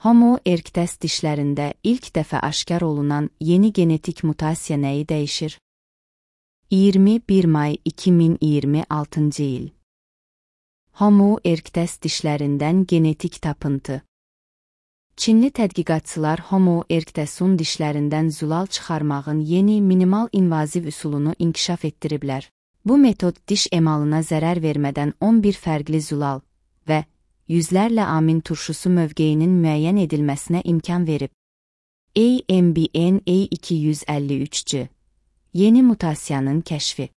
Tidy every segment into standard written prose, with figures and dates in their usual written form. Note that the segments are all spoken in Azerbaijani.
Homo erectus dişlərində ilk dəfə aşkar olunan yeni genetik mutasiya nəyi dəyişir? 21 may 2026 il. Homo erectus dişlərindən genetik tapıntı. Çinli tədqiqatçılar Homo erectusun dişlərindən zülal çıxarmağın yeni minimal invaziv üsulunu inkişaf etdiriblər. Bu metod diş emalına zərər vermədən 11 fərqli zülal və yüzlərlə amin turşusu mövqeyinin müəyyən edilməsinə imkan verib. AMBN A253C yeni mutasiyanın kəşfi.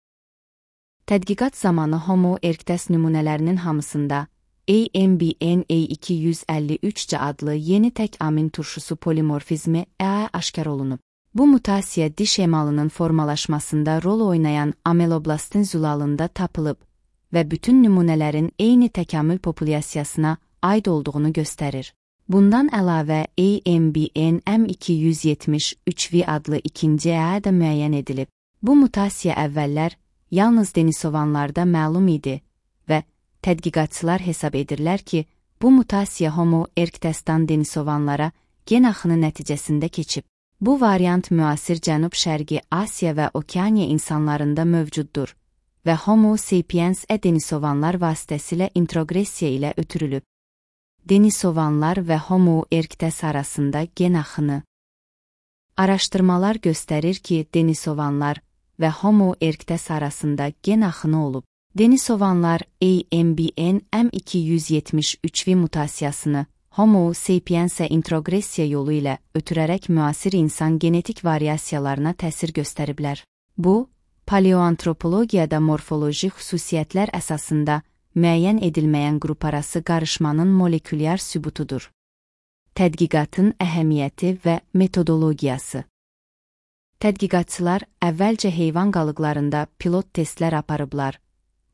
Tədqiqat zamanı Homo erectus nümunələrinin hamısında AMBN A253C adlı yeni tək amin turşusu polimorfizmi aşkar olunub. Bu mutasiya diş emalının formalaşmasında rol oynayan ameloblastin zülalında tapılıb və bütün nümunələrin eyni təkamül populyasiyasına aid olduğunu göstərir. Bundan əlavə AMBN M273V adlı ikinci da müəyyən edilib. Bu mutasiya əvvəllər yalnız denisovanlarda məlum idi və tədqiqatçılar hesab edirlər ki, bu mutasiya Homo erectusdan denisovanlara gen axını nəticəsində keçib. Bu variant müasir Cənub-Şərqi Asiya və Okeaniya insanlarında mövcuddur və Homo sapiens denisovanlar vasitəsilə introgressiya ilə ötürülüb. Denisovanlar və Homo erectus arasında gen axını. Araşdırmalar göstərir ki, denisovanlar və Homo erectus arasında gen axını olub. Denisovanlar AMBN M273V mutasiyasını Homo sapiensə introgressiya yolu ilə ötürərək müasir insan genetik variasiyalarına təsir göstəriblər. Bu, paleoantropologiyada morfoloji xüsusiyyətlər əsasında müəyyən edilməyən qruparası qarışmanın molekulyar sübutudur. Tədqiqatın əhəmiyyəti və metodologiyası. Tədqiqatçılar əvvəlcə heyvan qalıqlarında pilot testlər aparıblar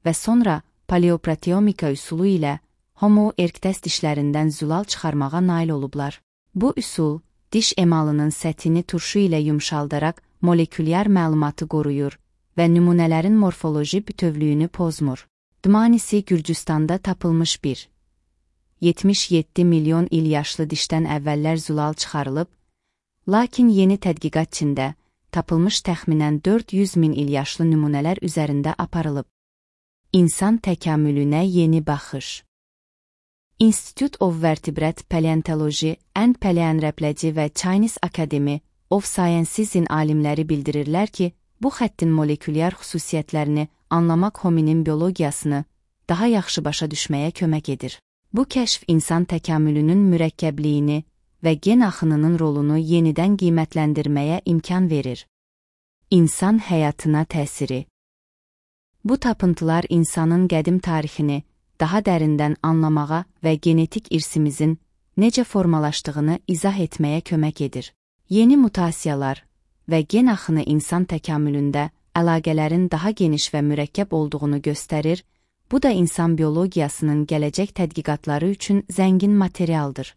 və sonra paleoproteomika üsulu ilə Homo erectus dişlərindən zülal çıxarmağa nail olublar. Bu üsul, diş emalının səthini turşu ilə yumşaldaraq molekulyar məlumatı qoruyur və nümunələrin morfoloji bütövlüyünü pozmur. Dmanisi Gürcüstanda tapılmış bir 77 milyon il yaşlı dişdən əvvəllər zülal çıxarılıb, lakin yeni tədqiqat Çində tapılmış təxminən 400 min il yaşlı nümunələr üzərində aparılıb. İnsan təkamülünə yeni baxış. Institute of Vertebrate Paleontology and Paleoanthropology və Chinese Academy of Sciences-in alimləri bildirirlər ki, bu xəttin molekulyar xüsusiyyətlərini anlamaq hominin biologiyasını daha yaxşı başa düşməyə kömək edir. Bu kəşf insan təkamülünün mürəkkəbliyini və gen axınının rolunu yenidən qiymətləndirməyə imkan verir. İnsan həyatına təsiri. Bu tapıntılar insanın qədim tarixini daha dərindən anlamağa və genetik irsimizin necə formalaşdığını izah etməyə kömək edir. Yeni mutasiyalar və gen axını insan təkamülündə əlaqələrin daha geniş və mürəkkəb olduğunu göstərir, bu da insan biologiyasının gələcək tədqiqatları üçün zəngin materialdır.